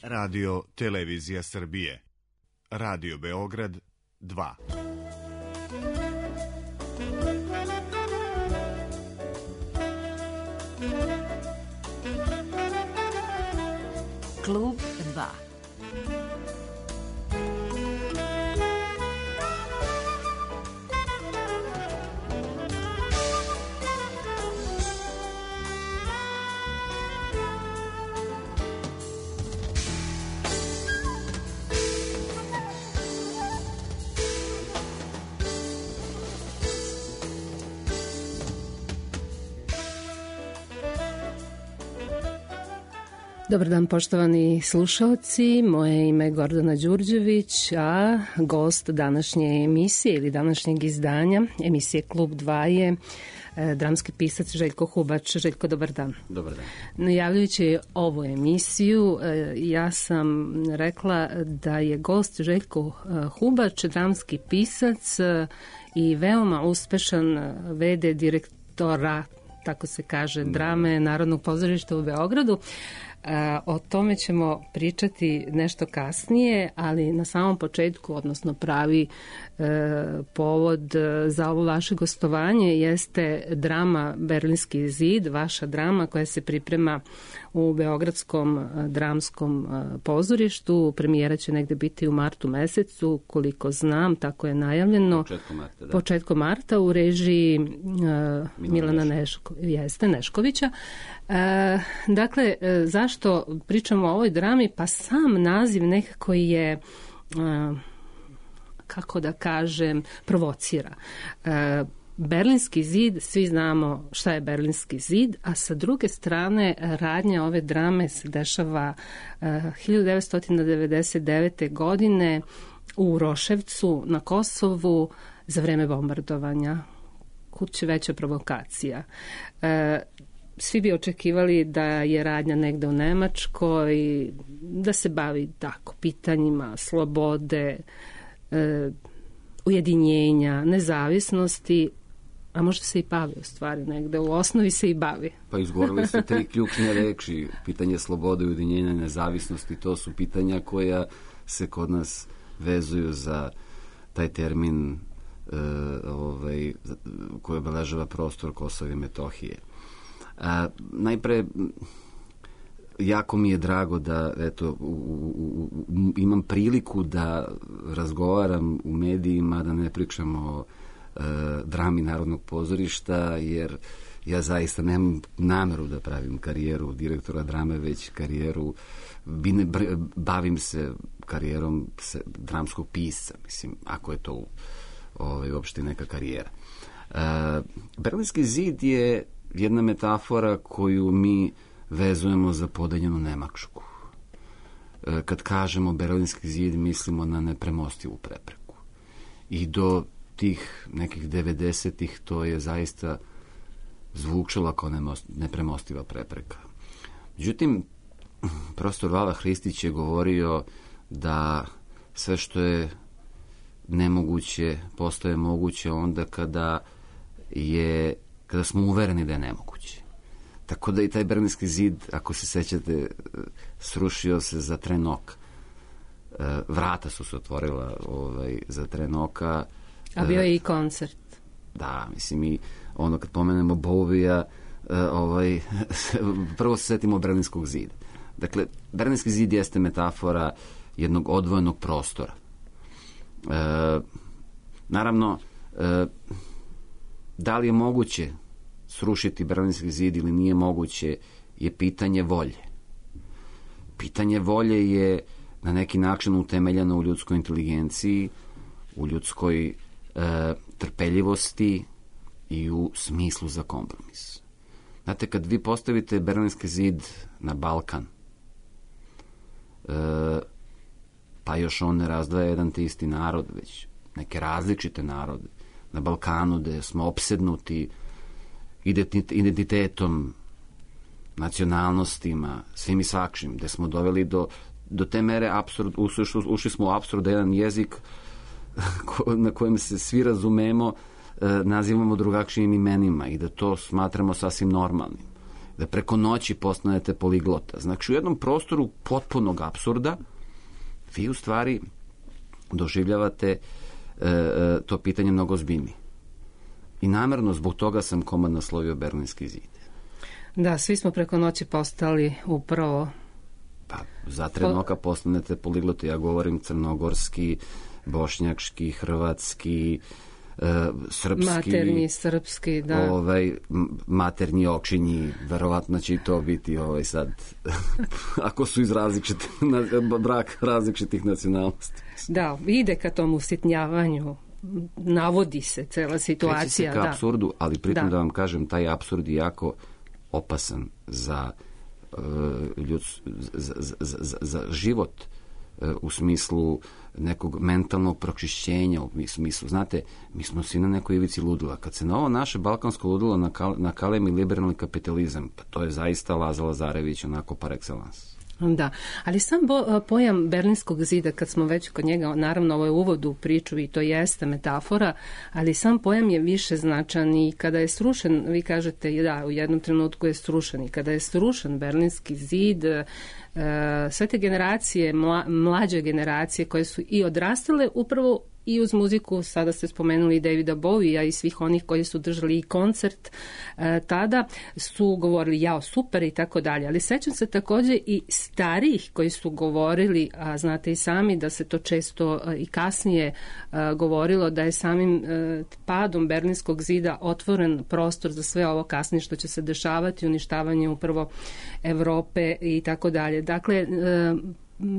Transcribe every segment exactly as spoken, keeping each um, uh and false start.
Radio Televizija Srbije. Radio Beograd dva. Klub dva. Dobar dan, poštovani slušalci, moje ime je Gordana Đurđević, a gost današnje emisije ili današnjeg izdanja emisije Klub dva je e, dramski pisac Željko Hubač. Željko, dobar dan. Dobar dan. Najavljujući ovu emisiju, e, ja sam rekla da je gost Željko Hubač, dramski pisac e, i veoma uspešan ve de direktora, tako se kaže, drame Narodnog pozorišta u Beogradu. O tome ćemo pričati nešto kasnije, ali na samom početku, odnosno pravi e, povod za ovo vaše gostovanje jeste drama Berlinski zid, vaša drama koja se priprema u Beogradskom dramskom pozorištu. Premijera će negde biti u martu mesecu, koliko znam, tako je najavljeno. Početkom marta, da. Početkom marta u režiji e, Milana Neško, jeste, Neškovića. E, dakle, zašto Zašto pričamo o ovoj drami? Pa sam naziv nekako je, kako da kažem, provocira. Berlinski zid, svi znamo šta je Berlinski zid, a sa druge strane radnja ove drame se dešava hiljadu devetsto devedeset devete. godine u Roševcu na Kosovu za vreme bombardovanja. Kud će veća provokacija. Svi bi očekivali da je radnja negde u Nemačkoj, da se bavi tako pitanjima slobode, e, ujedinjenja, nezavisnosti, a možda se i bavi u stvari negde, u osnovi se i bavi. Pa izgovorili ste tri ključne reči, pitanje slobode, ujedinjenja, nezavisnosti, to su pitanja koja se kod nas vezuju za taj termin e, ovaj, koji obeležava prostor Kosova i Metohije. A, najpre, jako mi je drago da eto, u, u, u, imam priliku da razgovaram u medijima, da ne pričam o e, drami Narodnog pozorišta, jer ja zaista nemam nameru da pravim karijeru direktora drame, već karijeru, bavim se karijerom se, dramskog pisca, mislim, ako je to ovaj, uopšte neka karijera. E, Berlinski zid je jedna metafora koju mi vezujemo za podeljenu Nemačku. E, kad kažemo Berlinski zid, mislimo na nepremostivu prepreku. I do tih nekih devedesetih to je zaista zvučalo kao nepremostiva prepreka. Međutim, profesor Vava Hristić je govorio da sve što je nemoguće postaje moguće onda kada je kada smo uvereni da je nemoguće. Tako da i taj Berlinski zid, ako se sećate, srušio se za tren oka. Vrata su se otvorila ovaj, za tren oka. A bio je i koncert. Da, mislim, i ono kad pomenemo Bovija, ovaj, prvo se setimo Berlinskog zida. Dakle, Berlinski zid jeste metafora jednog odvojenog prostora. E, naravno, e, da li je moguće srušiti Berlinski zid ili nije moguće je pitanje volje. Pitanje volje je na neki način utemeljeno u ljudskoj inteligenciji, u ljudskoj e, trpeljivosti i u smislu za kompromis. Znate, kad vi postavite Berlinski zid na Balkan, e, pa još on ne razdvaja jedan te isti narod, već neke različite narode, na Balkanu gde smo opsednuti identitetom, nacionalnostima, svim i svakšim, gde smo doveli do, do te mere apsurd, ušli, ušli smo u apsurd da jedan jezik na kojem se svi razumemo nazivamo drugačijim imenima i da to smatramo sasvim normalnim. da preko noći postanete poliglota. Znači, u jednom prostoru potpunog apsurda vi u stvari doživljavate e, to pitanje mnogo ozbiljnije. I namerno zbog toga sam komad naslovio Berlinski zid. Da, svi smo preko noći postali upravo... Pa, za trenoka postanete poligloti. Ja govorim crnogorski, bošnjački, hrvatski, e, srpski. Maternji, srpski, da. Ovaj, maternji, očinji, verovatno će i to biti ovaj sad, ako su iz različitih, brak različitih nacionalnosti. Da, ide ka tom usitnjavanju, navodi se cela situacija. Kreći se ka da. apsurdu, ali pritom da. da vam kažem, taj apsurd je jako opasan za, uh, ljud, za, za, za, za život uh, u smislu nekog mentalnog pročišćenja, u smislu, znate, mi smo svi na nekoj ivici ludila. Kad se na ovo naše balkansko ludilo nakal, nakalemi liberalni kapitalizam, pa to je zaista Laza Lazarević onako par excellence. Da, ali sam bo, pojam Berlinskog zida, kad smo već kod njega, naravno ovo je uvod u priču i to jeste metafora, ali sam pojam je više značan i kada je srušen, vi kažete da, u jednom trenutku je srušen i kada je srušen Berlinski zid, sve te generacije, mla, mlađe generacije koje su i odrastale upravo i uz muziku, sada ste spomenuli Davida Bowija i svih onih koji su držali i koncert e, tada, su govorili jao super i tako dalje, ali sećam se također i starijih koji su govorili, a znate i sami da se to često e, i kasnije e, govorilo da je samim e, padom Berlinskog zida otvoren prostor za sve ovo kasnije što će se dešavati, uništavanje upravo Evrope i tako dalje. Dakle, e,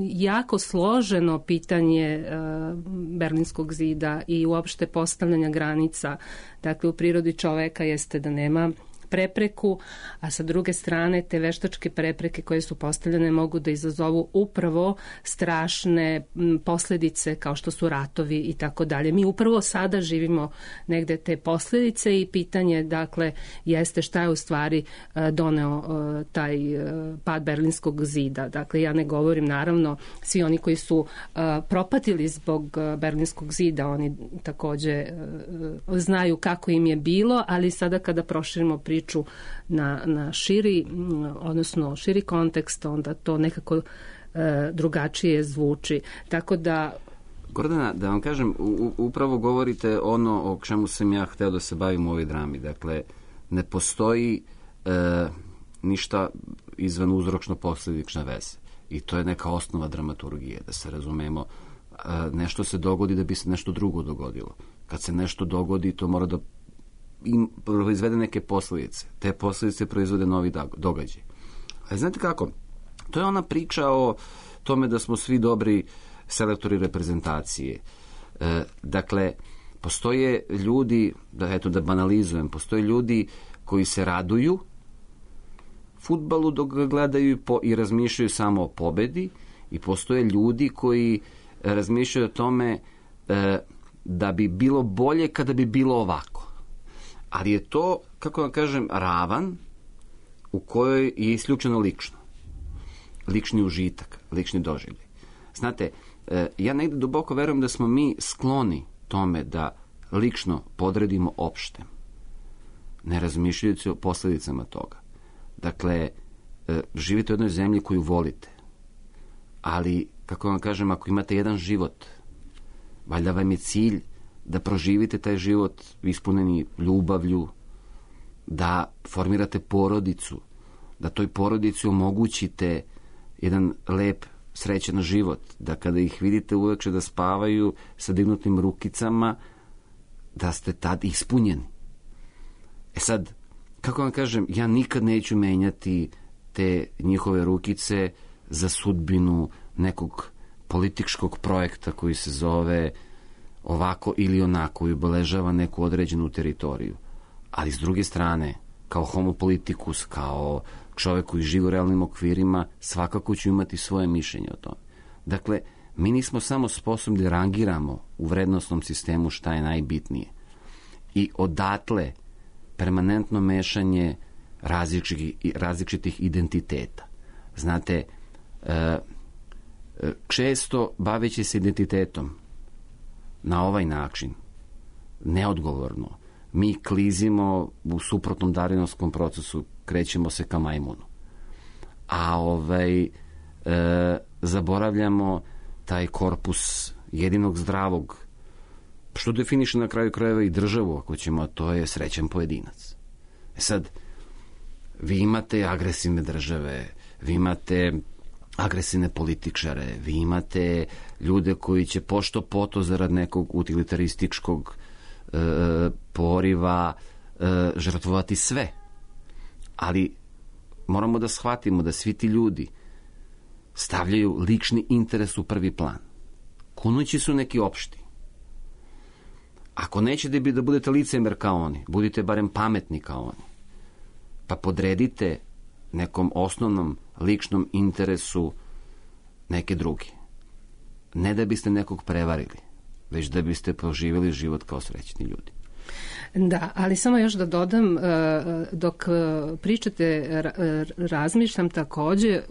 jako složeno pitanje uh, Berlinskog zida i uopšte postavljanja granica. Dakle, u prirodi čoveka jeste da nema prepreku, a sa druge strane te veštačke prepreke koje su postavljene mogu da izazovu upravo strašne posljedice kao što su ratovi i tako dalje. Mi upravo sada živimo negde te posljedice i pitanje, dakle, jeste šta je u stvari doneo taj pad Berlinskog zida. Dakle, ja ne govorim, naravno, svi oni koji su propatili zbog Berlinskog zida, oni takođe znaju kako im je bilo, ali sada kada proširimo priču na, na širi, odnosno širi kontekst, onda to nekako e, drugačije zvuči. Tako da... Gordana, da vam kažem, u, upravo govorite ono o čemu sam ja hteo da se bavim u ovoj drami. Dakle, ne postoji e, ništa izvan uzročno-posledične veze. I to je neka osnova dramaturgije, da se razumemo. E, nešto se dogodi da bi se nešto drugo dogodilo. Kad se nešto dogodi, to mora da i proizvede neke posljedice. Te posljedice proizvode novi događaj. Ali znate kako? To je ona priča o tome da smo svi dobri selektori reprezentacije. E, dakle, postoje ljudi, da, eto da banalizujem, postoje ljudi koji se raduju fudbalu dok ga gledaju po, i razmišljaju samo o pobedi, i postoje ljudi koji razmišljaju o tome e, da bi bilo bolje kada bi bilo ovako. Ali je to, kako vam kažem, ravan u kojoj je isključeno lično. Lični užitak, lični doživljaj. Znate, ja negde duboko verujem da smo mi skloni tome da lično podredimo opštem, ne razmišljajući o posljedicama toga. Dakle, živite u jednoj zemlji koju volite, ali, kako vam kažem, ako imate jedan život, valjda vam je cilj da proživite taj život ispuneni ljubavlju, da formirate porodicu, da toj porodici omogućite jedan lep, srećan život, da kada ih vidite uveče da spavaju sa dignutim rukicama, da ste tad ispunjeni. E sad, kako vam kažem, ja nikad neću menjati te njihove rukice za sudbinu nekog političkog projekta koji se zove ovako ili onako i obeležava neku određenu teritoriju. Ali s druge strane, kao homo politikus, kao čovjek koji živi u realnim okvirima, svakako ću imati svoje mišljenje o tome. Dakle, mi nismo samo sposobni da rangiramo u vrednostnom sistemu šta je najbitnije. I odatle permanentno mešanje različitih, različitih identiteta. Znate, često baveći se identitetom na ovaj način, neodgovorno, mi klizimo u suprotnom darvinovskom procesu, krećemo se ka majmunu. A ovaj, e, zaboravljamo taj korpus jedinog zdravog, što definiše na kraju krajeva i državu, ako ćemo, a to je srećan pojedinac. E sad, vi imate agresivne države, vi imate agresivne političare, vi imate ljude koji će pošto poto zarad nekog utilitarističkog e, poriva e, žrtvovati sve. Ali moramo da shvatimo da svi ti ljudi stavljaju lični interes u prvi plan. Kunući su neki opšti. Ako nećete da budete licemer kao oni, budite barem pametni kao oni. Pa podredite nekom osnovnom ličnom interesu neke druge. Ne da biste nekog prevarili, već da biste proživjeli život kao srećni ljudi. Da, ali samo još da dodam, dok pričate, razmišljam također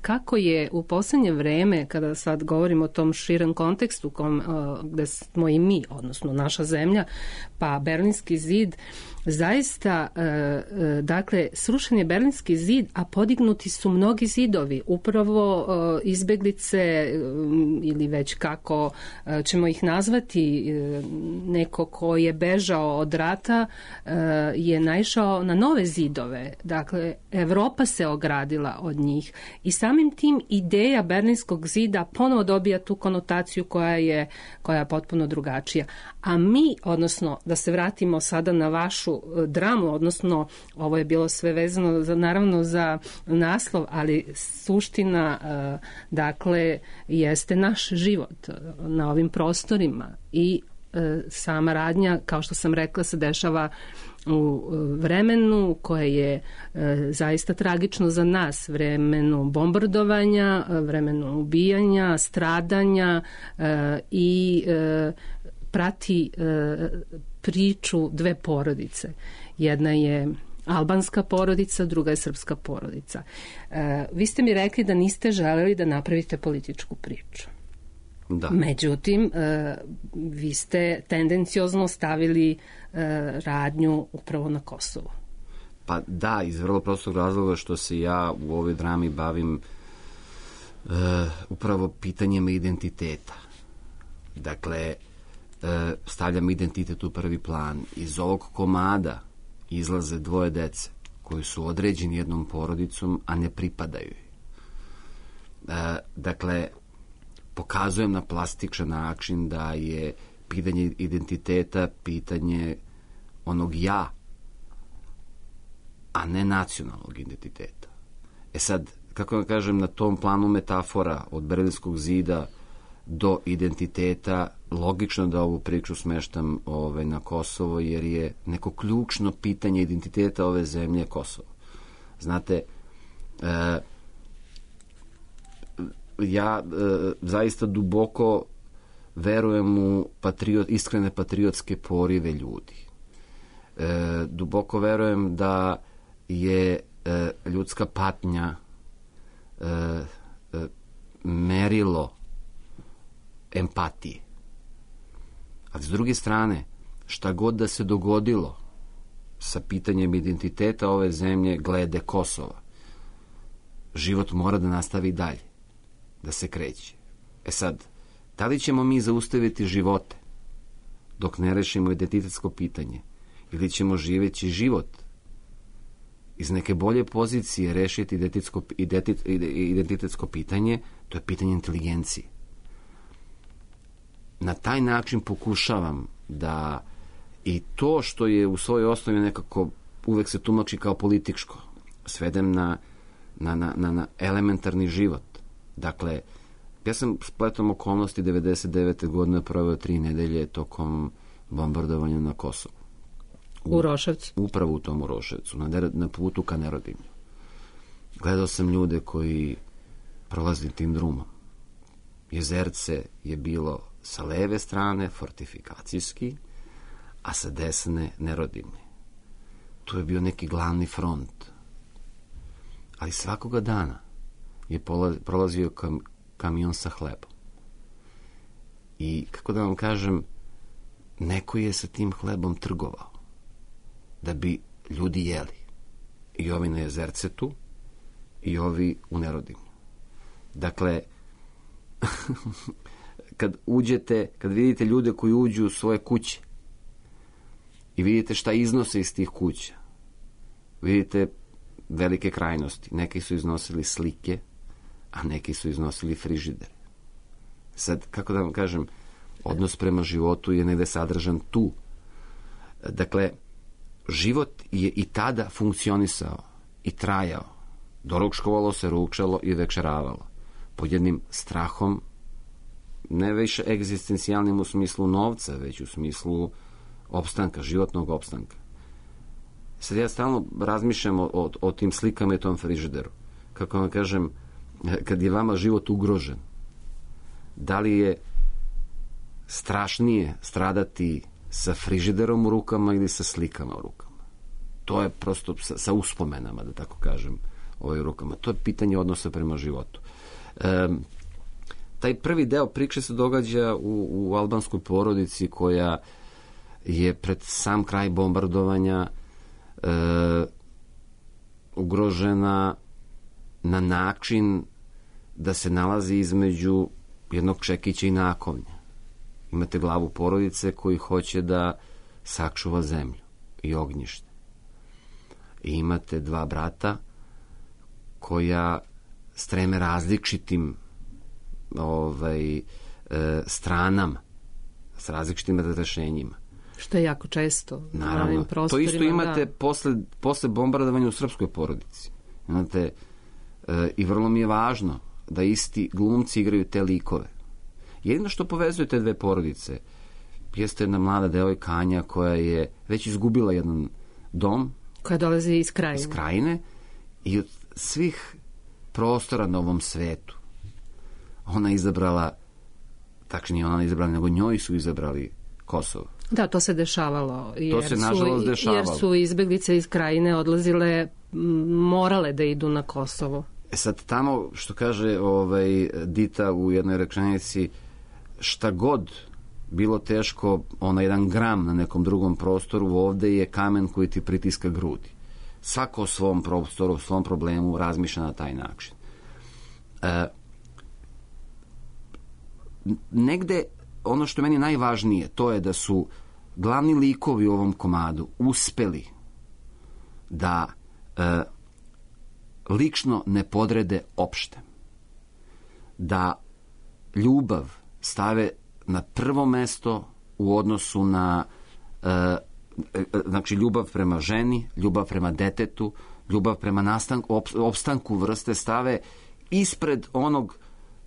kako je u posljednje vreme, kada sad govorimo o tom širem kontekstu kom, gde smo i mi, odnosno naša zemlja, pa Berlinski zid, zaista, dakle, srušen je Berlinski zid, a podignuti su mnogi zidovi, upravo izbeglice ili već kako ćemo ih nazvati, neko ko je bežao od rata je naišao na nove zidove. Dakle, Evropa se ogradila od njih i samim tim ideja Berlinskog zida ponovo dobija tu konotaciju koja je, koja je potpuno drugačija. A mi, odnosno, da se vratimo sada na vašu dramu, odnosno ovo je bilo sve vezano za, naravno za naslov, ali suština dakle jeste naš život na ovim prostorima i sama radnja, kao što sam rekla, se dešava u vremenu koje je e, zaista tragično za nas, vremenu bombardovanja, vremenu ubijanja, stradanja e, i e, prati e, priču dve porodice. Jedna je albanska porodica, druga je srpska porodica. E, vi ste mi rekli da niste želeli da napravite političku priču. Da. Međutim, e, vi ste tendenciozno stavili e, radnju upravo na Kosovu. Pa da, iz vrlo prostog razloga što se ja u ovoj drami bavim e, upravo pitanjima identiteta. Dakle, e, stavljam identitet u prvi plan. Iz ovog komada izlaze dvoje dece koji su određeni jednom porodicom, a ne pripadaju joj. E, dakle, pokazujem na plastičan način da je pitanje identiteta pitanje onog ja, a ne nacionalnog identiteta. E sad, kako da kažem, na tom planu metafora od Berlinskog zida do identiteta, logično da ovu priču smeštam ovaj, na Kosovo, jer je neko ključno pitanje identiteta ove zemlje Kosovo. Znate, e, ja e, zaista duboko verujem u patriot, iskrene patriotske porive ljudi. E, duboko verujem da je e, ljudska patnja e, e, merilo empatije. A s druge strane, šta god da se dogodilo sa pitanjem identiteta ove zemlje glede Kosova, život mora da nastavi dalje, da se kreće. E sad, da li ćemo mi zaustaviti živote dok ne rešimo identitetsko pitanje, ili ćemo živeći život iz neke bolje pozicije rešiti identitetsko, identitet, identitetsko pitanje, to je pitanje inteligencije. Na taj način pokušavam da i to što je u svojoj osnovi nekako uvek se tumači kao političko, svedem na, na, na, na elementarni život. Dakle, ja sam spletom okolnosti devedeset devete godine proveo tri nedelje tokom bombardovanja na Kosovu. U, u Roševcu? Upravo u tom Roševcu, na, na putu ka Nerodimlju. Gledao sam ljude koji prolazi tim drumom. Jezerce je bilo sa leve strane fortifikacijski, a sa desne Nerodimlje. Tu je bio neki glavni front. Ali svakoga dana je prolazio kam, kamion sa hlebom. I, kako da vam kažem, neko je sa tim hlebom trgovao. da bi ljudi jeli. I ovi na Jezercetu i ovi u Nerodimlju. Dakle, kad uđete, kad vidite ljude koji uđu u svoje kuće i vidite šta iznose iz tih kuća, vidite velike krajnosti. Neki su iznosili slike, a neki su iznosili frižidere. Sad, kako da vam kažem, odnos prema životu je negde sadržan tu. Dakle, život je i tada funkcionisao i trajao. Doručkovalo se, ručalo i večeravalo. Pod jednim strahom, ne više egzistencijalnim u smislu novca, već u smislu opstanka, životnog opstanka. Sad ja stalno razmišljam o, o, o tim slikama i tom frižideru. Kako vam kažem, kad je vama život ugrožen, da li je strašnije stradati sa frižiderom u rukama ili sa slikama u rukama? To je prosto sa, sa uspomenama, da tako kažem, ovaj, u rukama. To je pitanje odnosa prema životu. E, taj prvi deo priče se događa u, u albanskoj porodici koja je pred sam kraj bombardovanja e, ugrožena na način da se nalazi između jednog čekića i nakovnja. Imate glavu porodice koji hoće da sačuva zemlju i ognjište. I imate dva brata koja streme različitim ovaj, e, stranama, s različitim rešenjima. Što je jako često. Naravno. To isto imate da. posle, posle bombardovanja u srpskoj porodici. Imate, e, i vrlo mi je važno da isti glumci igraju te likove. Jedino što povezuje te dve porodice jeste jedna mlada devojka Anja koja je već izgubila jedan dom. Koja dolazi iz krajine. Iz krajine i od svih prostora na ovom svetu ona izabrala, tačnije ona izabrala, nego njoj su izabrali Kosovo. Da, to se dešavalo. Jer to se nažalost dešavalo. Jer su izbeglice iz krajine odlazile, morale da idu na Kosovo. E sad tamo, što kaže ovaj, Dita u jednoj rečenici, šta god bilo teško, ona jedan gram na nekom drugom prostoru, ovde je kamen koji ti pritiska grudi. Svako o svom prostoru, o svom problemu razmišlja na taj način. E, negde, ono što je meni najvažnije, to je da su glavni likovi u ovom komadu uspeli da e, lično ne podrede opšte. Da ljubav stave na prvo mesto u odnosu na e, znači ljubav prema ženi, ljubav prema detetu, ljubav prema nastanku, op, opstanku vrste stave ispred onog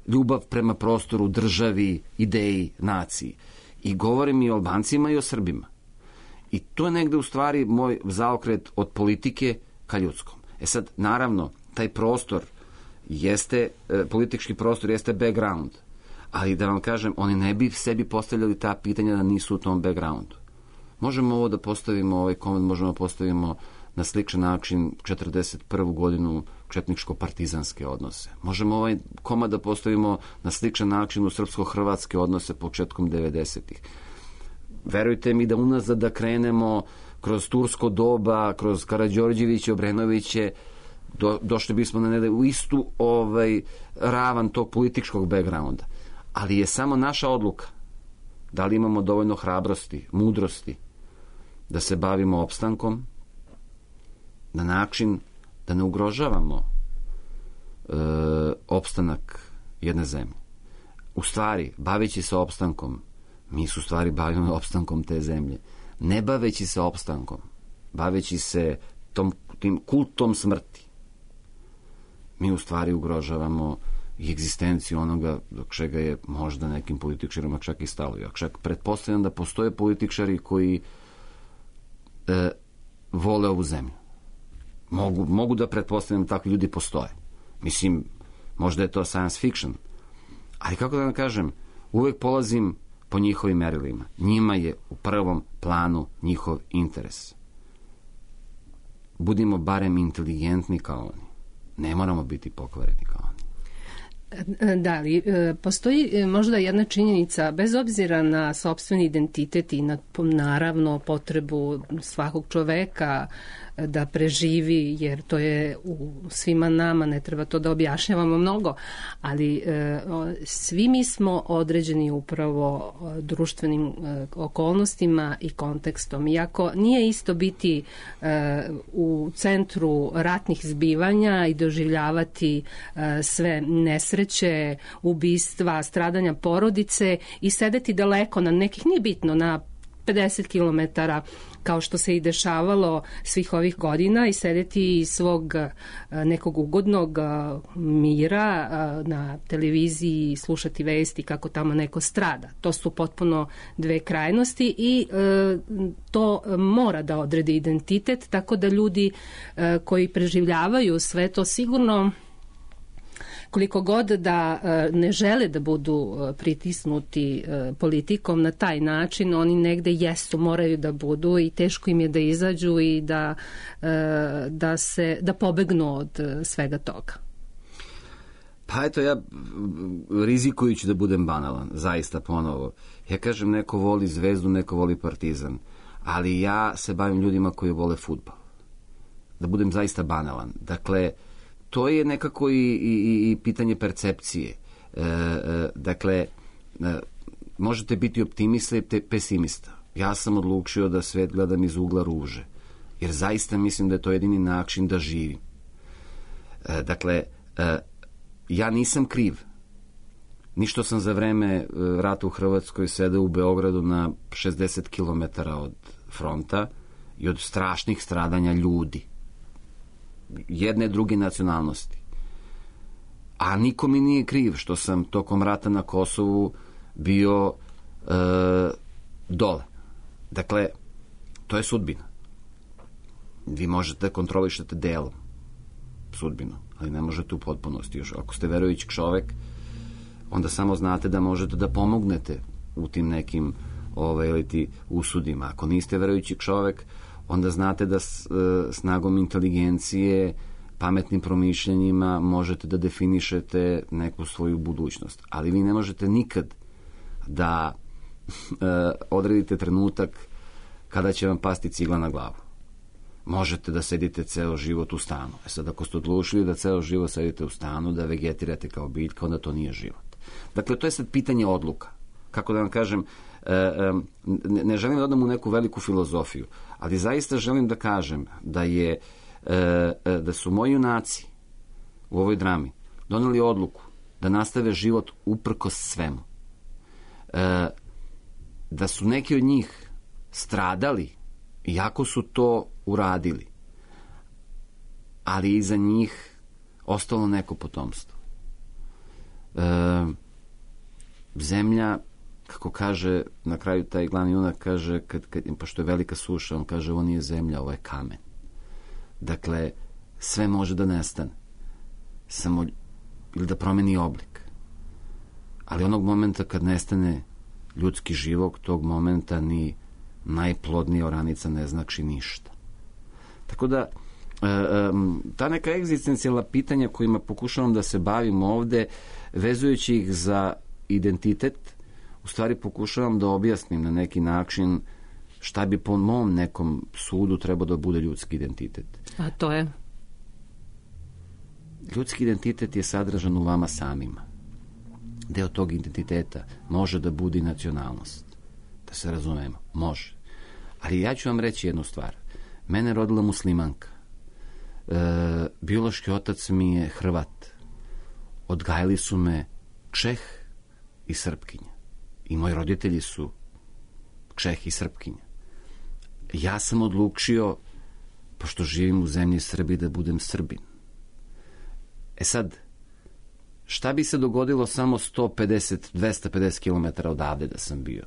ljubav prema prostoru, državi, ideji, naciji. I govorim i o Albancima i o Srbima. I to je negde u stvari moj zaokret od politike ka ljudskom. E sad, naravno, taj prostor jeste, e, politički prostor jeste background, ali da vam kažem, oni ne bi sebi postavljali ta pitanja da nisu u tom backgroundu. Možemo ovo da postavimo, ovaj komad možemo da postavimo na sličan način četrdeset prvu godinu četničko-partizanske odnose. Možemo ovaj komad da postavimo na sličan način u srpsko-hrvatske odnose početkom devedesetih. Verujte mi da unazad da krenemo kroz tursko doba, kroz Karađorđeviće, Obrenoviće, do, došli bismo na nede u istu ovaj, ravan tog političkog backgrounda. Ali je samo naša odluka da li imamo dovoljno hrabrosti, mudrosti da se bavimo opstankom na način da ne ugrožavamo e, opstanak jedne zemlje. U stvari, baveći se opstankom, mi se u stvari bavimo opstankom te zemlje. Ne baveći se opstankom, baveći se tom, tim kultom smrti, mi u stvari ugrožavamo i egzistenciju onoga do čega je možda nekim političarima čak i stalo. Ja čak pretpostavljam da postoje političari koji e, vole ovu zemlju. Mogu, mogu da pretpostavljam da takvi ljudi postoje. Mislim, možda je to science fiction. Ali kako da vam kažem, uvek polazim po njihovim merilima. Njima je u prvom planu njihov interes. Budimo barem inteligentni kao oni. Ne moramo biti pokvareni kao oni. Da, ali postoji možda jedna činjenica, bez obzira na sopstveni identitet i na, naravno, potrebu svakog čoveka da preživi, jer to je u svima nama, ne treba to da objašnjavamo mnogo, ali e, svi mi smo određeni upravo društvenim e, okolnostima i kontekstom. Iako nije isto biti e, u centru ratnih zbivanja i doživljavati e, sve nesreće, ubistva, stradanja porodice i sedeti daleko na nekih, nije bitno, na pedeset kilometara, kao što se i dešavalo svih ovih godina, i sedeti iz svog nekog ugodnog mira na televiziji i slušati vesti kako tamo neko strada. To su potpuno dve krajnosti i to mora da odredi identitet, tako da ljudi koji preživljavaju sve to sigurno, koliko god da ne žele da budu pritisnuti politikom na taj način, oni negde jesu, moraju da budu i teško im je da izađu i da, da, se, da pobegnu od svega toga. Pa eto, ja rizikujući da budem banalan, zaista ponovo, ja kažem neko voli Zvezdu, neko voli Partizan, ali ja se bavim ljudima koji vole fudbal. Da budem zaista banalan. Dakle, to je nekako i, i, i pitanje percepcije. E, e, dakle, e, možete biti optimista i pesimista. Ja sam odlučio da svet gledam iz ugla ruže, jer zaista mislim da je to jedini način da živim. E, dakle, e, ja nisam kriv. Ništo sam za vreme rata u Hrvatskoj sedeo u Beogradu na šezdeset kilometara od fronta i od strašnih stradanja ljudi jedne druge nacionalnosti. A niko mi nije kriv što sam tokom rata na Kosovu bio e, dole. Dakle, to je sudbina. Vi možete da kontrolišete delom sudbinu, ali ne možete u potpunosti. Još ako ste verujući čovek, onda samo znate da možete da pomognete u tim nekim ove, ili ti usudima. Ako niste verujući čovek, onda znate da s, snagom inteligencije, pametnim promišljanjima možete da definišete neku svoju budućnost. Ali vi ne možete nikad da e, odredite trenutak kada će vam pasti cigla na glavu. Možete da sedite ceo život u stanu. E sad, ako ste odlučili da ceo život sedite u stanu, da vegetirate kao biljka, onda to nije život. Dakle, to je sad pitanje odluka. Kako da vam kažem, ne želim da odam u neku veliku filozofiju, ali zaista želim da kažem da je da su moji junaci u ovoj drami doneli odluku da nastave život uprkos svemu. Da su neki od njih stradali iako su to uradili, ali iza njih ostalo neko potomstvo. Zemlja, kako kaže na kraju taj glavni junak, kaže, kad, kad, pošto je velika suša, on kaže, ovo nije zemlja, ovo je kamen. Dakle, sve može da nestane. Samo, ili da promeni oblik. Ali onog momenta kad nestane ljudski život, tog momenta ni najplodnija oranica ne znači ništa. Tako da, ta neka egzistencijalna pitanja kojima pokušavam da se bavim ovde, vezujući ih za identitet, u stvari pokušavam da objasnim na neki način šta bi po mom nekom sudu trebao da bude ljudski identitet. A to je? Ljudski identitet je sadržan u vama samima. Deo tog identiteta može da bude i nacionalnost. Da se razumemo, može. Ali ja ću vam reći jednu stvar. Mene rodila muslimanka. E, biološki otac mi je Hrvat. Odgajali su me Čeh i Srpkinja. I moji roditelji su Čeh i Srpkinja. Ja sam odlučio, pošto živim u zemlji Srbiji, da budem Srbin. E sad, šta bi se dogodilo samo sto pedeset do dvesta pedeset kilometara odavde da sam bio?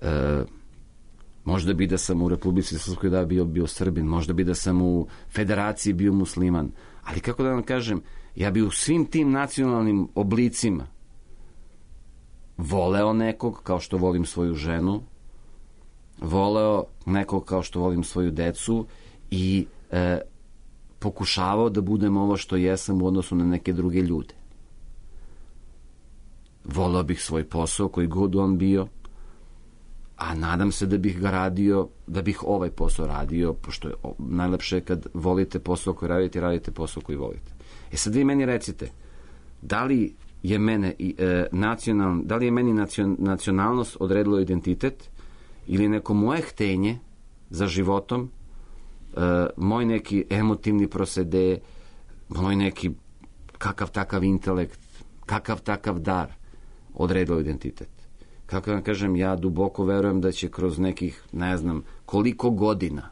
E, možda bi da sam u Republici Srpskoj da bio, bio Srbin, možda bi da sam u Federaciji bio musliman, ali kako da vam kažem, ja bi u svim tim nacionalnim oblicima voleo nekog kao što volim svoju ženu, voleo nekog kao što volim svoju decu i e, pokušavao da budem ovo što jesam u odnosu na neke druge ljude. volao bih svoj posao koji god on bio, a nadam se da bih ga radio, da bih ovaj posao radio, pošto je najlepše kad volite posao koji radite, radite posao koji volite. E sad vi meni recite, da li je mene e, nacional, da li je meni nacion, nacionalnost odredilo identitet ili neko moje htenje za životom, e, moj neki emotivni prosede, moj neki kakav takav intelekt, kakav takav dar odredilo identitet. Kako vam kažem, ja duboko verujem da će kroz nekih, ne znam, koliko godina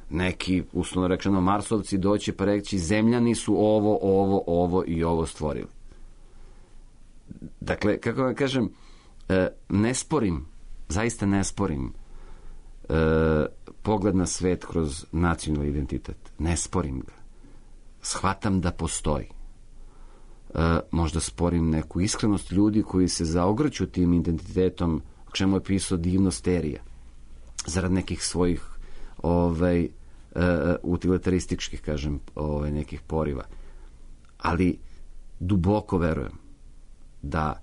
neki, uslovno rečeno, Marsovci doći pa reći, zemljani su ovo, ovo, ovo i ovo stvorili. Dakle, kako vam kažem, ne sporim, zaista ne sporim pogled na svet kroz nacionalni identitet. Ne sporim ga. Shvatam da postoji. Možda sporim neku iskrenost ljudi koji se zaogrću tim identitetom, o čemu je pisao divno Sterija, zarad nekih svojih ovaj, utilitarističkih, kažem, ovaj, nekih poriva. Ali duboko verujem da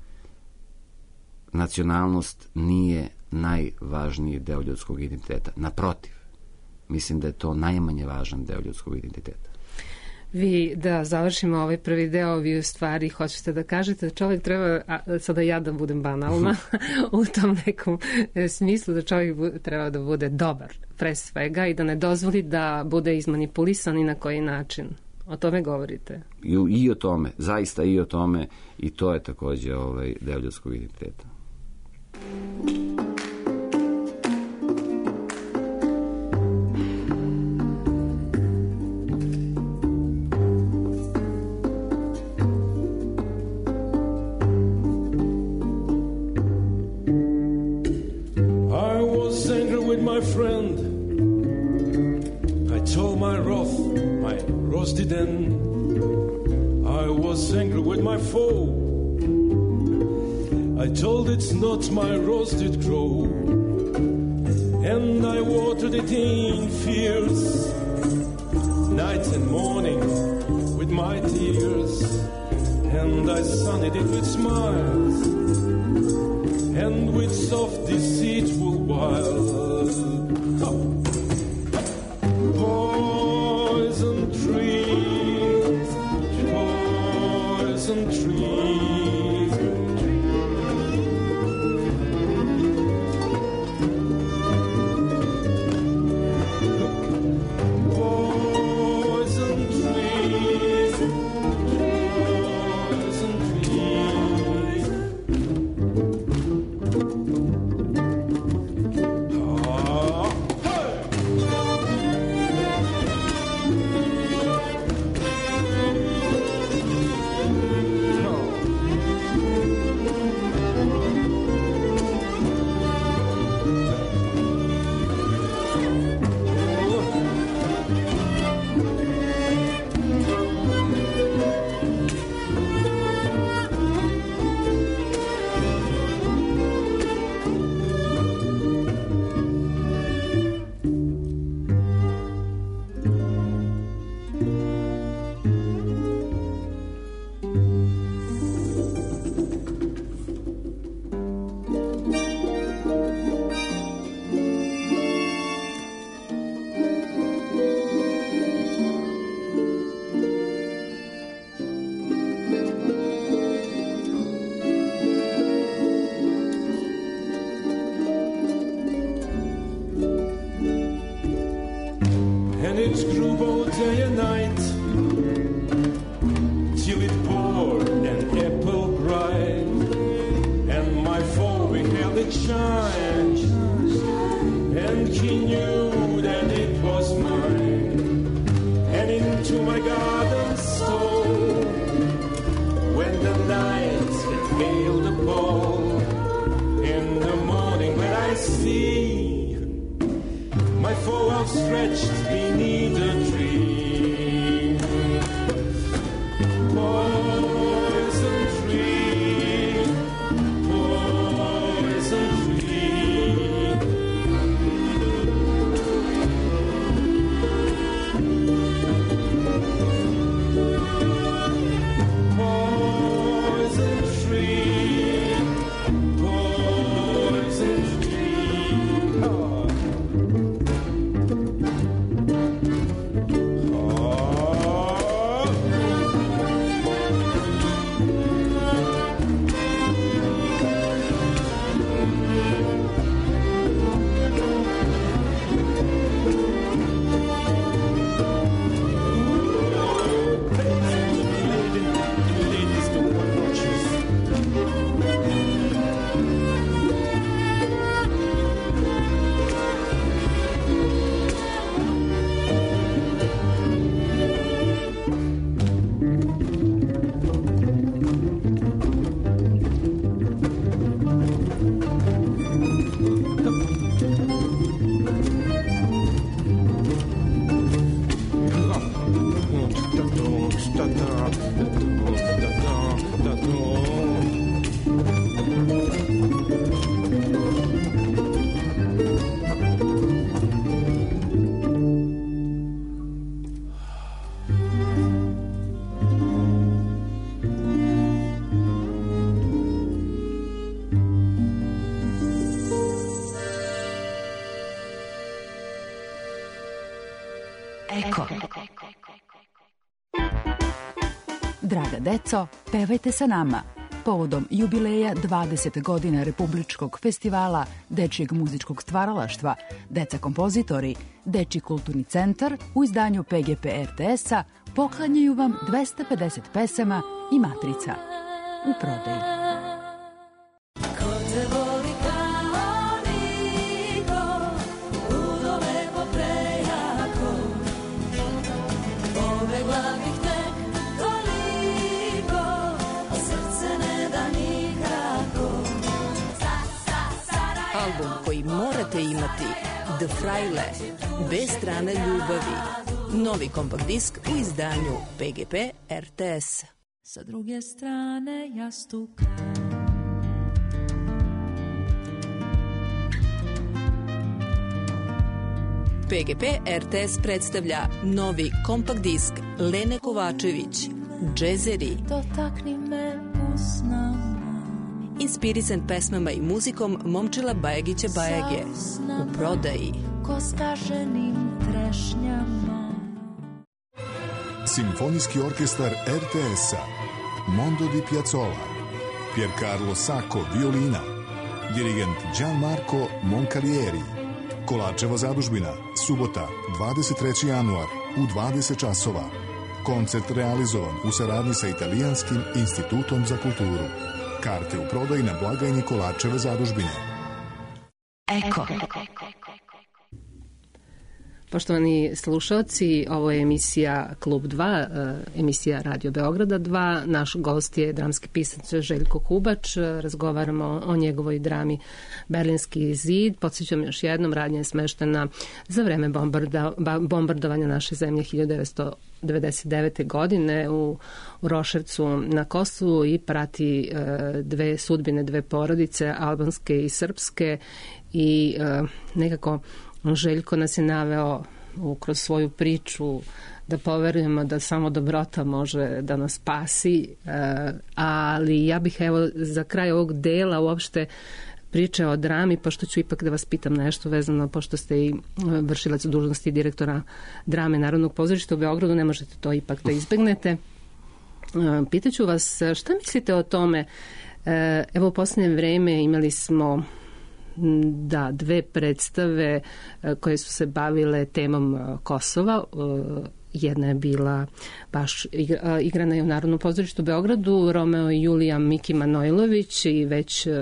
nacionalnost nije najvažniji deo ljudskog identiteta. Naprotiv, mislim da je to najmanje važan deo ljudskog identiteta. Vi, da završimo ovaj prvi deo, vi u stvari hoćete da kažete da čovjek treba, a, sada ja da budem banalna, u tom nekom smislu da čovjek treba da bude dobar pre svega i da ne dozvoli da bude izmanipulisan i na koji način. O tome govorite? I, i o tome, zaista i o tome, i to je takođe ovaj, deo ljudskog identiteta. My friend, I told my wrath, my roasted end. I was angry with my foe. I told it's not my roasted crow, and I watered it in fears, night and morning with my tears, and I sunned it with smiles and with soft deceitful wiles. Poison trees, poison trees. Poison trees, poison trees. And it grew both day and night till it poured an apple bright, and my foe beheld it shine, and he knew that it was mine, and into my garden stole when the night had veiled the pole. In the morning when I see my foe outstretched beneath a tree, poison tree, poison tree. Poison tree. Eko. Draga deco, pevajte sa nama. Povodom jubileja dvadeset godina Republičkog festivala dečijeg muzičkog stvaralaštva Deca kompozitori, Dečiji kulturni centar u izdanju P G P R T S-a poklanjaju vam dvesta pedeset pesama i matrica u prodaji. Album koji morate imati, The Fraile, Dve strane ljubavi. Novi kompakt disk u izdanju P G P R T S. Sa druge strane jastuka. P G P R T S predstavlja novi kompakt disk Lene Kovačević, Džezeri. Dotakni me usnama. Inspirisan pesmama i muzikom Momčila Bajagića Bajage. U prodaji. Ko skaženim trešnjama. Simfonijski orkestar R T S-a, Mondo di Piazzolla, Piercarlo Sacco violina, dirigent Gianmarco Moncalieri. Kolačeva zadužbina, subota, dvadeset treći januar u dvadeset časova. Koncert realizovan u saradnji sa Italijanskim institutom za kulturu. Karte u prodaji na blagajni Kolačeve zadužbine. Eko. Poštovani slušalci, ovo je emisija Klub dva, emisija Radio Beograda dva. Naš gost je dramski pisac Željko Hubač. Razgovaramo o njegovoj drami Berlinski zid. Podsjećam još jednom, radnja je smeštena za vreme bombarda, bombardovanja naše zemlje hiljadu devetsto devedeset devete. godine u, u Roševcu na Kosovu i prati e, dve sudbine, dve porodice, albanske i srpske, i e, nekako Željko nas je naveo u, kroz svoju priču da poverujemo da samo dobrota može da nas spasi, e, ali ja bih evo za kraj ovog dela uopšte priče o drami, pošto ću ipak da vas pitam nešto vezano, pošto ste i vršilac dužnosti direktora drame Narodnog pozorišta u Beogradu, ne možete to ipak da izbegnete. Pitaću vas, šta mislite o tome? Evo u posljednje vreme imali smo da dve predstave koje su se bavile temom Kosova. Jedna je bila baš igrana je u Narodnom pozorištu u Beogradu, Romeo i Julija Miki Manojlović i već uh,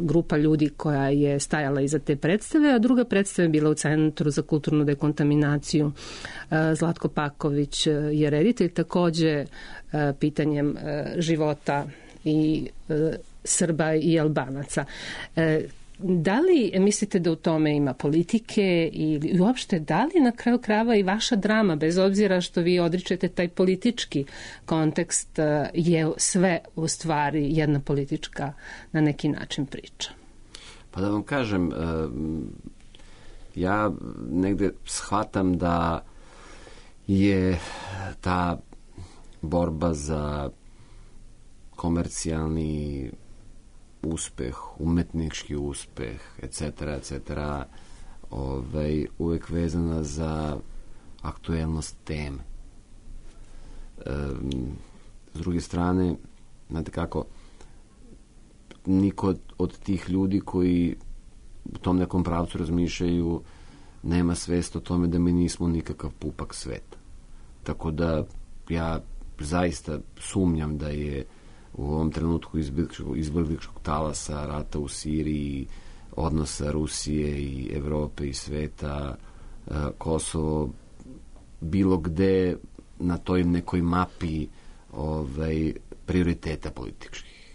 grupa ljudi koja je stajala iza te predstave, a druga predstava je bila u Centru za kulturnu dekontaminaciju. Uh, Zlatko Paković je reditelj, takođe uh, pitanjem uh, života i uh, Srba i Albanaca. Uh, Da li mislite da u tome ima politike ili uopšte da li na kraju krajeva i vaša drama, bez obzira što vi odričete taj politički kontekst, je sve u stvari jedna politička na neki način priča? Pa da vam kažem, ja negde shvatam da je ta borba za komercijalni uspeh, umetnički uspeh, et cetera, et cetera, ovaj, uvek vezana za aktuelnost teme. E, s druge strane, znate kako, niko od, od tih ljudi koji u tom nekom pravcu razmišljaju nema svest o tome da mi nismo nikakav pupak sveta. Tako da ja zaista sumnjam da je u ovom trenutku izbjegličkog talasa, rata u Siriji, odnosa Rusije i Evrope i sveta, Kosovo bilo gde na toj nekoj mapi ovaj, prioriteta političkih.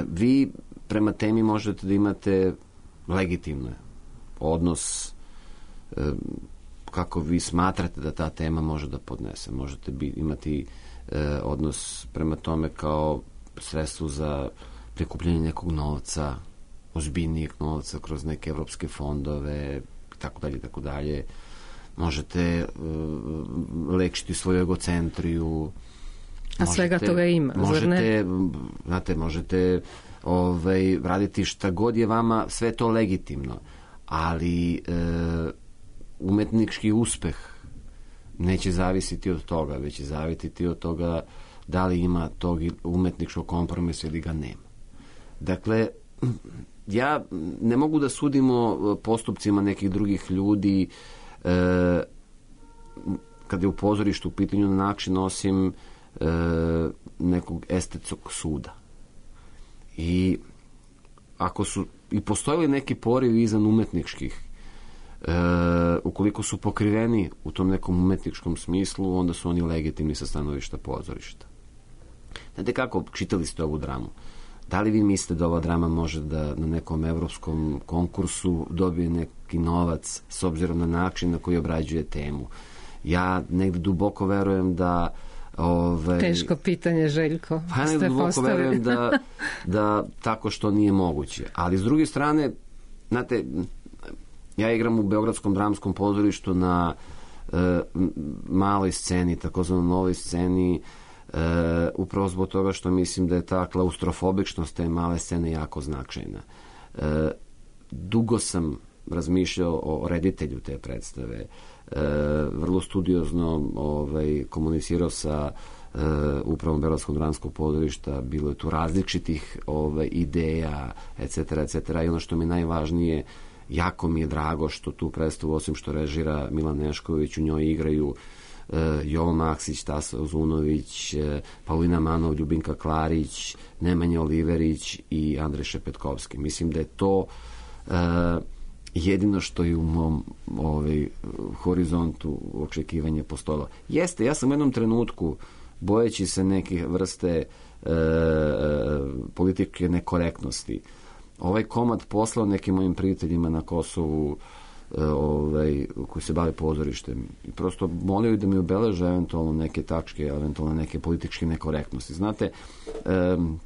Vi prema temi možete da imate legitimno odnos kako vi smatrate da ta tema može da podnese. Možete bi, imati eh, odnos prema tome kao sredstvo za prikupljanje nekog novca, ozbiljnijeg novca kroz neke evropske fondove, tako dalje, tako dalje. Možete uh, lekšiti svoju egocentriju. A možete, svega toga ima, možete, zar ne? Znate, možete ovaj, raditi šta god je vama, sve to legitimno. Ali e, umetnički uspeh neće zavisiti od toga, već će zavisiti od toga da li ima tog umetničkog kompromisa ili ga nema. Dakle, ja ne mogu da sudimo postupcima nekih drugih ljudi e, kada je u pozorištu u pitanju na način osim e, nekog estetskog suda. I ako su i postojali neki porivi izvan umetničkih, e, ukoliko su pokriveni u tom nekom umetničkom smislu, onda su oni legitimni sa stanovišta pozorišta. Znate kako, čitali ste ovu dramu. Da li vi mislite da ova drama može da na nekom evropskom konkursu dobije neki novac s obzirom na način na koji obrađuje temu? Ja negde duboko verujem da... Ove, Teško pitanje, Željko. Pa ja negde duboko postavili. verujem da, da tako što nije moguće. Ali s druge strane, znate, ja igram u Beogradskom dramskom pozorištu na e, maloj sceni, takozvano novoj sceni, Uh, upravo zbog toga što mislim da je ta klaustrofobičnost te male scene jako značajna. Uh, dugo sam razmišljao o reditelju te predstave, uh, vrlo studiozno ovaj, komunicirao sa uh, upravom Beogradskog dramskog pozorišta, bilo je tu različitih ovaj, ideja, et cetera, et cetera. I ono što mi je najvažnije, jako mi je drago što tu predstavu, osim što režira Milan Nešković, u njoj igraju Uh, Jovo Maksić, Tasa Uzunović, uh, Paulina Manov, Ljubinka Klarić, Nemanja Oliverić i Andrej Šepetkovski. Mislim da je to uh, jedino što je u mom ovaj, horizontu očekivanja postojalo. Jeste, ja sam u jednom trenutku, bojeći se neke vrste uh, politike nekorektnosti, ovaj komad poslao nekim mojim prijateljima na Kosovu ovaj, koji se bave pozorištem i prosto molio da mi obeleže eventualno neke tačke, eventualno neke političke nekorektnosti. Znate, um,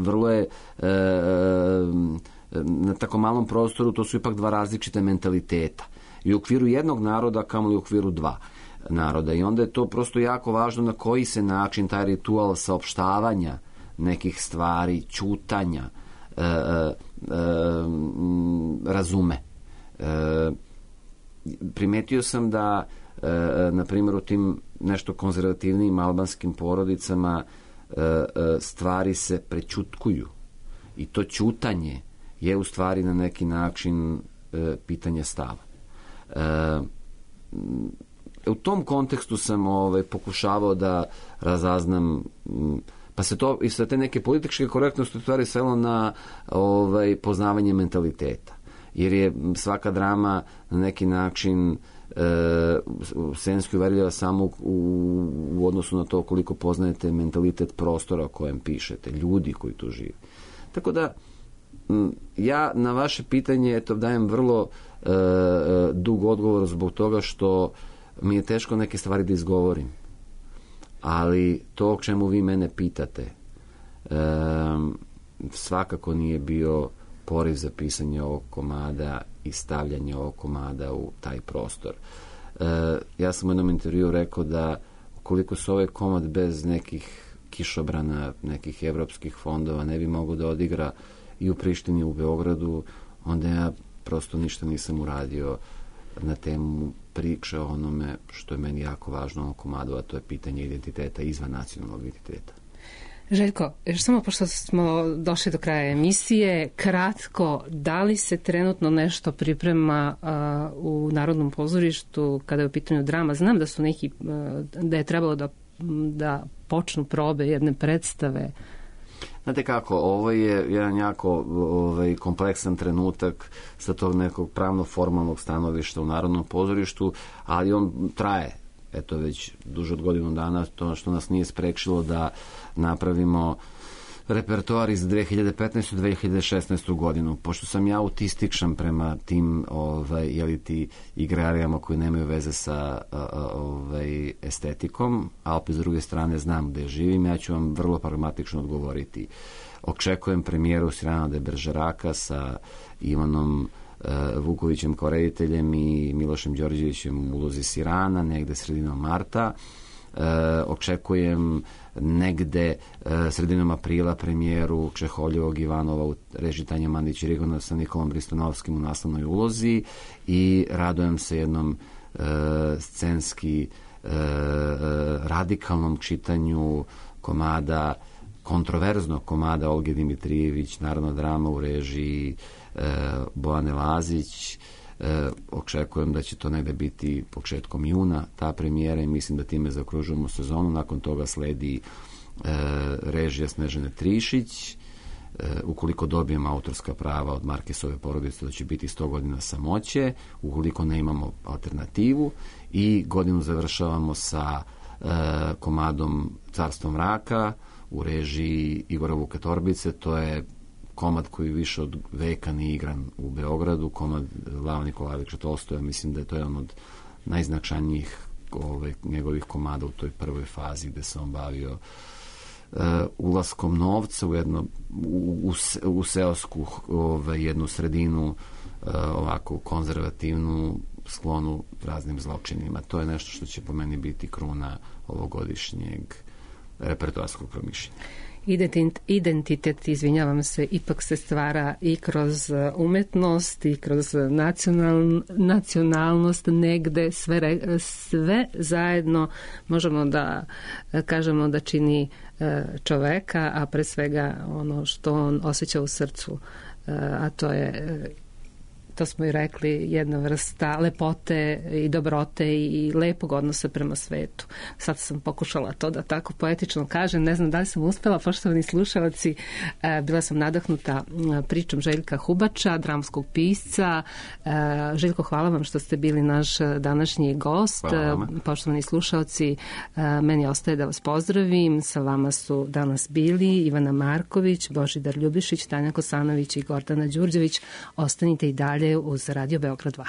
vrlo je um, na tako malom prostoru, to su ipak dva različite mentaliteta i u okviru jednog naroda kamoli u okviru dva naroda i onda je to prosto jako važno na koji se način taj ritual saopštavanja nekih stvari, ćutanja uh, uh, uh, razume. E, primetio sam da e, na primjer u tim nešto konzervativnijim albanskim porodicama e, e, stvari se prećutkuju i to ćutanje je u stvari na neki način e, pitanje stava. E, u tom kontekstu sam ovaj, pokušavao da razaznam, pa se to i sa te neke političke korektnosti u stvari svelo na ovaj, poznavanje mentaliteta. Jer je svaka drama na neki način e, scenski uverljiva samo u, u odnosu na to koliko poznajete mentalitet prostora o kojem pišete, ljudi koji tu žive. Tako da, m, ja na vaše pitanje eto, dajem vrlo e, dug odgovor zbog toga što mi je teško neke stvari da izgovorim. Ali to o čemu vi mene pitate e, svakako nije bio poriv za pisanje ovog komada i stavljanje ovog komada u taj prostor. E, ja sam u jednom intervju rekao da ukoliko se ovaj komad bez nekih kišobrana, nekih evropskih fondova ne bi mogao da odigra i u Prištini i u Beogradu, onda ja prosto ništa nisam uradio na temu priče o onome što je meni jako važno u ovom komadu, a to je pitanje identiteta izvan nacionalnog identiteta. Željko, još samo pošto smo došli do kraja emisije, kratko, da li se trenutno nešto priprema uh, u Narodnom pozorištu kada je u pitanju drama? Znam da su neki, uh, da je trebalo da, da počnu probe jedne predstave. Znate kako, ovo je jedan jako ovaj, kompleksan trenutak sa tog nekog pravno-formalnog stanovišta u Narodnom pozorištu, ali on traje. Eto već duže od godinu dana, to što nas nije sprečilo da napravimo repertoar iz dve hiljade petnaeste. do dve hiljade šesnaeste. godinu. Pošto sam ja autističan prema tim ovaj, jeli ti igrarijama koji nemaju veze sa ovaj, estetikom, a opet s druge strane znam gde živim, ja ću vam vrlo pragmatično odgovoriti. Očekujem premijeru Cyrana de Bergeraka sa Ivanom Vukovićem kao rediteljem i Milošem Đorđevićem u ulozi Sirana, negde sredinom marta. očekujem negde sredinom aprila premijeru Čeholjevog Ivanova u režiji Tanja Mandić i Rigona sa Nikolom Bristanovskim u naslovnoj ulozi i radujem se jednom scenski radikalnom čitanju komada, kontroverznog komada Olge Dimitrijević, Narodna drama u režiji Bojane Lazić. E, očekujem da će to negde biti početkom juna ta premijera i mislim da time zaokružujemo sezonu. Nakon toga sledi e, režija Snežane Trišić. E, ukoliko dobijem autorska prava od Markesove porodice, da će biti sto godina samoće, ukoliko ne imamo alternativu, i godinu završavamo sa e, komadom Carstvo mraka u režiji Igora Vuka Torbice. To je komad koji više od veka nije igran u Beogradu, komad Lava Nikolajevića Tolstoja. Mislim da je to jedan od najznačajnijih ove, njegovih komada u toj prvoj fazi gde se on bavio uh, ulaskom novca u, jedno, u, u, u seosku ove, jednu sredinu, uh, ovako konzervativnu, sklonu raznim zločinima. To je nešto što će po meni biti kruna ovogodišnjeg repertoarskog promišljenja. Identitet, izvinjavam se, ipak se stvara i kroz umetnost i kroz nacional, nacionalnost negde, sve, sve zajedno možemo da kažemo da čini čoveka, a pre svega ono što on osjeća u srcu, a to je, to smo i rekli, jedna vrsta lepote i dobrote i lepog odnosa prema svetu. Sad sam pokušala to da tako poetično kažem, ne znam da li sam uspela, poštovani slušalci. Bila sam nadahnuta pričom Željka Hubača, dramskog pisca. Željko, hvala vam što ste bili naš današnji gost. Poštovani slušalci, meni ostaje da vas pozdravim. Sa vama su danas bili Ivana Marković, Božidar Ljubišić, Tanja Kosanović i Gordana Đurđević. Ostanite i dalje uz Radio Beograd dva.